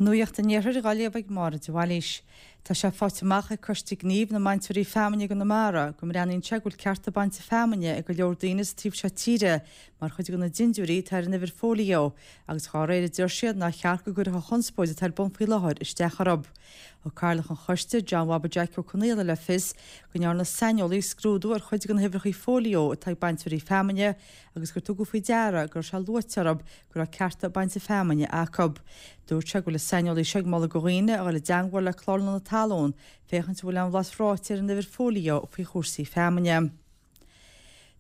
Nuacht an Iarthair á léamh ag Máire de Bhailís. Tá sé faighte amach ag Coiste Gnímh na mBainteoirí Feamainne i gConamara go mbreathnaíonn sé go bhfuil cearta bainte feamainne ag go leor daoine sa taobh seo tíre mar chuid de na dindiúirí atá ar an uimhir fóilió agus dhá réir a deir siad nár cheart go gcuirfeadh an chonspóid atá ar bun faoi láthair isteach orthu. Thug Cathaoirleach an Choiste, John Bhaba Jeaic Ó Conaola le fios go ndearna saineolaí scrúdú ar chuid de na huimhreacha fóilió atá ag bainteoirí feamainne agus gur tugadh faoi deara go raibh sé luaite orthu go raibh cearta bainte feamainne acu. Dúirt sé go bhfuil an saineolaí seo ag moladh do dhaoine a dhul i dteangmháil le Clárlann na Talún féachaint an bhfuil aon bhlas ráite ar an uimhir fóilió faoi chúrsaí feamainne.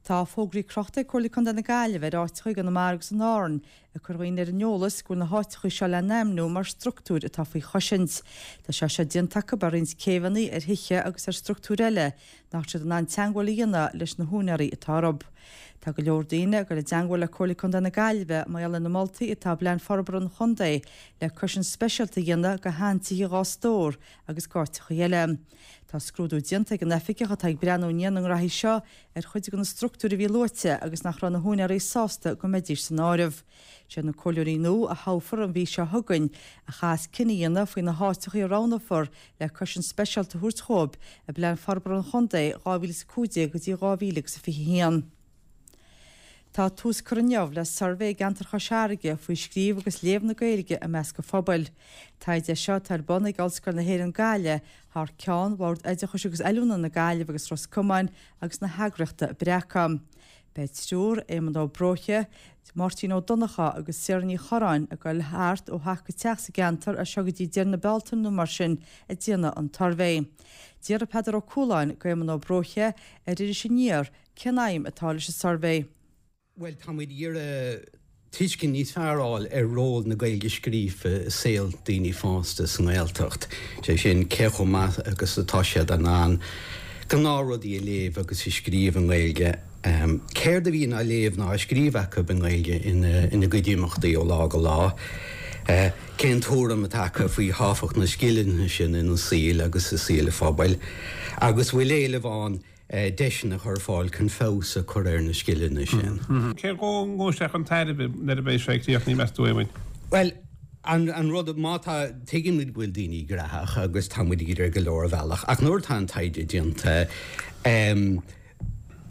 Tá fógraí crochta ag Comhairle Contae na Gaillimhe ar áiteacha i gConamara agus in Árainn ag cur dhaoine ar an eolas go bhfuil na háiteacha seo le n-ainmniú mar structúir atá faoi chosaint. Tá sé seo déanta acu ar roinnt céibheanna, ar thithe agus ar structúir eile nach raibh siad in ann teangmháil a dhéanamh leis na húinéirí atá orthu. Tá go leor daoine ag dul i dteangmháil le Comhairle Contae na Gaillimhe mar gheall ar na moltaí atá i bPlean Forbartha an Chontae le cosaint speisialta a dhéanamh do sheantithe Dhá Stór agus d'áiteacha eile. Tá scrúdú déanta ag an oifigeach atá ag breathnú i ndiaidh na ngraithí seo ar chuid de na structúir a bhí luaite agus nach raibh na húinéirí sásta go mbeidís san áireamh. Siad na comhairleoirí nua a thoghfar an mhí seo chugainn a chaithfeas cinneadh a dhéanamh faoi na háiteacha a roghnófar le cosaint speisialta a thabhairt dhóibh i bPlean Forbartha an Chontae 2015 go dtí 2021. Tá tús curtha inniu le suirbhé i gceantar Chois Fharraige faoi scríobh agus léamh na Gaeilge i measc an phobail. Taighde é seo atá ar bun ag Ollscoil na hÉireann Gaillimh thar ceann Bhord Oideachais agus Oiliúna na Gaillimhe agus Ros Comáin agus na heagraíochta Breacadh. Beidh triúr, Éamonn Ó Bróithe, Máirtín Ó Donnchadha agus Sarah Ní Chorráin, ag dul thart ó theach go teach sa gceantar as seo go dtí deireadh na Bealtaine nó mar sin ag déanamh an tsuirbhé. D'fhiafraigh Peadar Ó Cualáin d'Éamonn Ó Bróithe ar Iris Aniar cén aidhm atá leis an suirbhé. Bhuel, tá muid ag iarraidh tuiscint níos fearr a fháil ar ról na Gaeilge scríofa i saol daoine fásta sa nGaeltacht, sé sin, cé chomh maith agus atá siad in ann gnáthrudaí a léamh agus a scríobh i nGaeilge, céard a bhíonn á léamh nó á scríobh acu i nGaeilge ina gcuid imeachtaí ó lá go lá, cén tuairim atá acu faoi thábhacht na scileanna sin ina saol agus i saol an phobail, agus bhfuil éileamh ann deiseanna a chur ar fáil chun feabhas a chur ar na scileanna sin. Cé dhó ngabhfaidh sé chun tairbhe nuair a bheidh sé críochnaithe, meas tú, Éamoinn? Bhuel, an rud, má tá, tuigimid go bhfuil daoine graitheach agus tá muid ag iarraidh ar go leor bhealach, ach nuair atá an taighde déanta,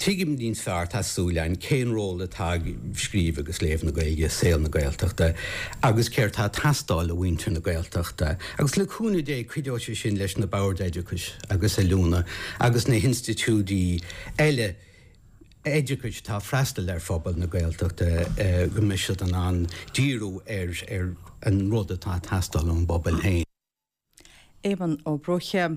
tuigimid níos fearr, tá súil againn, cén ról atá ag scríobh agus léamh na Gaeilge i saol na Gaeltachta agus céard atá ag teastáil ó mhuintir na Gaeltachta. Agus le cúnamh Dé, cuideoidh sé sin leis na boird oideachais agus oiliúna agus na hinstitiúidí eile oideachais atá ag freastal ar phobal na Gaeltachta go mbeidh siad in ann díriú ar an rud atá ag teastáil ón bpobal féin. Éamonn Ó Bróithe.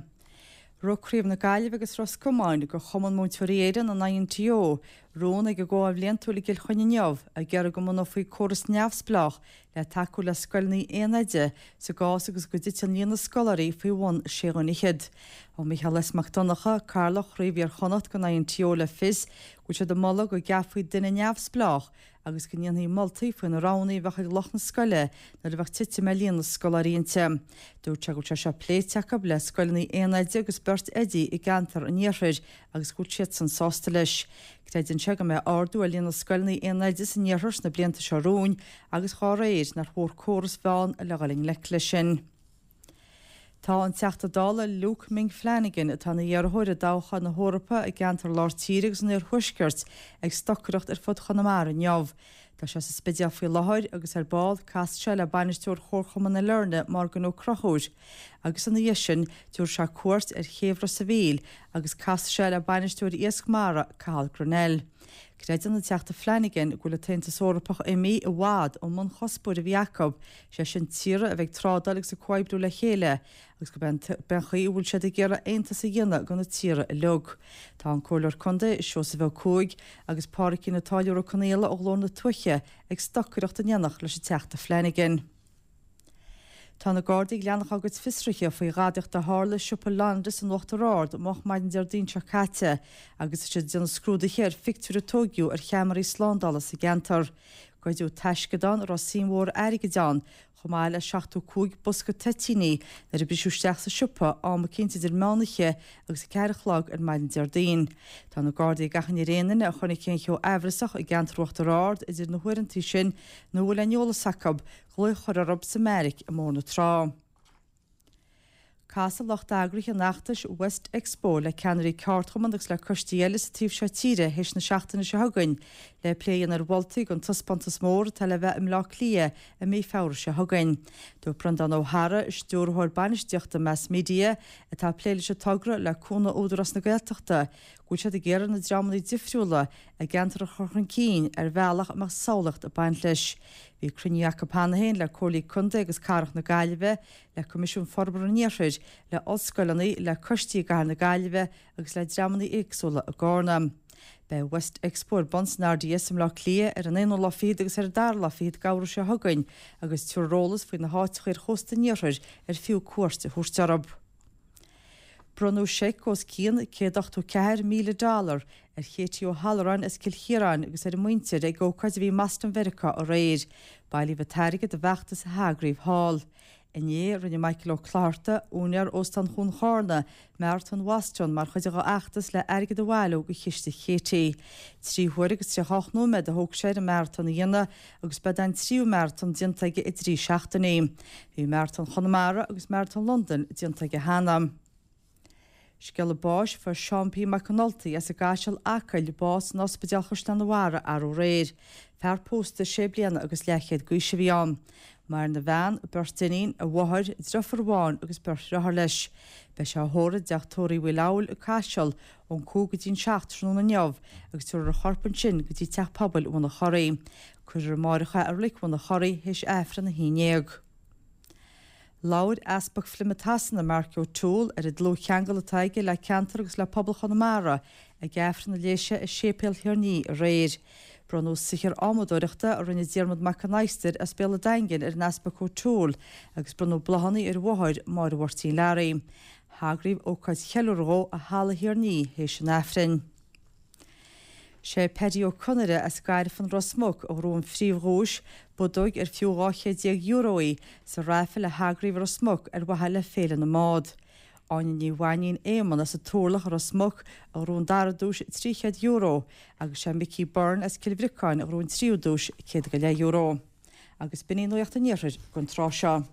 Rith Craobh na Gaillimhe agus Ros Comáin de Chumann Múinteoirí Éireann, an INTO, rún ag a gcomhdháil bhliantúil i gCill Chainnigh inniu, ag iarraidh go mbunófaí córas neamhspleách le tacú le scoileanna aon oide sa gcás agus go dtiteann líon na scoláirí faoi bhun sé dhuine fhichead. Thug Micheál S. Mac Donncha, Cathaoirleach Chraobh Iar-Chonnacht den INTO le fios go bhfuil siad ag moladh go gceapfaí duine neamhspleách agus go ndéanfaí moltaí faoi na roghanna a bheadh ag lucht na scoile nuair a bheadh titim ar líon na scoláirí inti. Dúirt sé go bhfuil sé seo pléite acu le scoileanna aon oide agus beirt oidí i gceantar an iarthair agus go bhfuil siadsan sásta leis. Creideann sé go mbeidh ardú ar líon na scoileanna aon oide san iarthar sna blianta seo romhainn agus dhá réir nach mhór córas a bheith ann le dhul i ngleic leis sin. Tá an Teachta Dála Luke Ming Flanagan, atá ina iarrthóir i dtoghchán na hEorpa i gceantar Lár Tíre agus an Iarthuaiscirt, ag stocaireacht ar fud Chonamara inniu. Tá sé sa Spidéal faoi láthair agus ar ball casfaidh sé le bainisteoir Chomharchumann na Leirne, Morgan Ó Conchúir. Agus ina dhiaidh sin, tabharfaidh sé cuairt ar chéibh Ros a' Mhíl agus casfaidh sé le bainisteoir Iasc Mara, Cathal Grennell. Creideann an Teachta Flanagan go bhfuil an tAontas Eorpach imithe i bhfad ón mbunchuspóir a bhí acu, sé sin tíortha a bheith ag trádáil agus ag comhoibriú le chéile, agus gurb é an chaoi a bhfuil siad ag iarraidh aontas a dhéanamh de na tíortha uilig. Tá an Comhairleoir Contae, Seosamh Ó Cuaig, agus Pádraicín an Táilliúra Ó Conaola ó Ghlór na Tuaithe ag stocaireacht in éineacht leis an Teachta Flanagan. Tá na Gardaí ag leanacht dá gcuid fiosruithe faoi ghadaíocht a tharla i siopa Londis in Uachtar Ard moch maidin Déardaoin seo caite agus tá siad ag déanamh scrúduithe ar phictiúir a tóigeadh ar cheamaraí slándála sa gceantar. Goideadh taisceadán a raibh suim mhór airgid ann. Chomh maith le 75 bosca toitíní nuair a briseadh isteach sa siopa am eicínt idir meán oíche agus 4 a chlog ar maidin Déardaoin. Tá na Gardaí ag achainí ar aon duine a chonaic aon cheo aimhreasach i gceantar Uachtar Ard idir na huaireanta sin nó a bhfuil aon eolas acu, glao a chur orthu sa mbeairic i mBóthar na Trá. Casfaidh lucht eagraithe an fheachtais West Expo le ceannairí ceardchumann agus le coistí eile sa taobh seo tíre théis na seachtaine seo chugainn le plé a dhéanamh ar mholtaí don taispeántas mór atá le bheith i mBleá Cliath i mí Feabhra seo chugainn. Dúirt Breandán Ó hEadhra, Stiúrthóir Bainistíochta Mass Media, atá ag plé leis an togra le cúnamh Údarás na Gaeltachta, go bhfuil siad ag iarraidh na dreamanna difriúla i gceantar a chur chun cinn ar bhealach a mbeadh samhlaíocht ag baint leis. Bhí cruinniú acu cheana féin le Comhairlí Contae agus Cathrach na Gaillimhe, le Coimisiún Forbartha an Iarthair, le ollscoileanna, le coistí i gcathair na Gaillimhe agus le dreamanna éagsúla i gCarna. Beidh West Expo ar bun san RDS i mBleá Cliath ar an aonú lá fichead agus ar an dara lá fichead d'Fheabhra seo chugainn agus tabharfar eolas faoi na háiteacha ar chósta an iarthair ar fiú cuairt a thabhairt orthu. Bronnadh seic os cionn $184,000 dollar ar Katie O'Halloran as Cill Chiaráin agus ar a muintir ag ócáid a bhí i mBoston Mheiriceá aréir. Bailíodh an t-airgead do bhfeachtas a heagraíodh thall. Inné, rinne Michael Ó Clochartaigh, úinéir Óstán Chuan Chárna, Maratón Bhoston mar chuid dá fheachtas le airgead a bhailiú do chiste Katie. 3 huaire agus 38 nóiméad a thóg sé air an maratón a dhéanamh agus b'é an tríú maratón déanta aige i dtrí seachtainí. Bhí Maratón Chonamara agus Maratón Londain déanta aige cheana. Scéala báis, Fuair Seán P. Mac an Ultaigh as an gCaiseal, Acaill, bás in Ospidéal Chaisleán an Bharraigh arú aréir. Fear pósta sé bliana agus leathchéad d'aois a bhí ann. Maireann a bhean, beirt iníon, a mháthair, driofúr amháin agus beirt dhriotháir leis. Beidh sé á thórramh i dteach tórraimh Uí Leabhail, an Caiseal, ón 5 go dtí an 7 tráthnóna inniu agus tabharfar a chorp ansin go dtí Teach Pobail Mhullach Choraí. Cuirfear amáireach é i Reilig Mhullach Choraí théis Aifreann 11. Labhair Easpag Phlymouth Shasana, Mark O'Toole, ar an dlúthcheangal atá aige le ceantar agus le pobal Chonamara ag Aifreann a léigh sé i Séipéal Thír an Fhia aréir. Bronnadh saothar adhmadóireachta a rinne Diarmuid Mac an Adhastair as Béal an Daingin ar an Easpag O'Toole agus bronnadh bláthanna ar a mháthair, Máire Mháirtín Learaí. hEagraíodh ócáid cheiliúrtha dhó i Halla Thír an Fhia théis an Aifrinn. Sé Paddy Ó Conaire as Gairfean, Ros Muc, a ghnóthaigh an phríomhdhuais, bodóg ar fiú €12 chéad í, sa raifil a heagraíodh i Ros Muc ar mhaithe le Féile na mBád. Áine Ní Mhainín Éamonn as an Turlach i Ros Muc a ghnóthaigh an dara duais, €300, agus sé Mickey Byrne as Cill Bhriocáin a ghnóthaigh an tríú duais, €100 go leith. Agus b'in í Nuacht an Iarthair don tráth seo.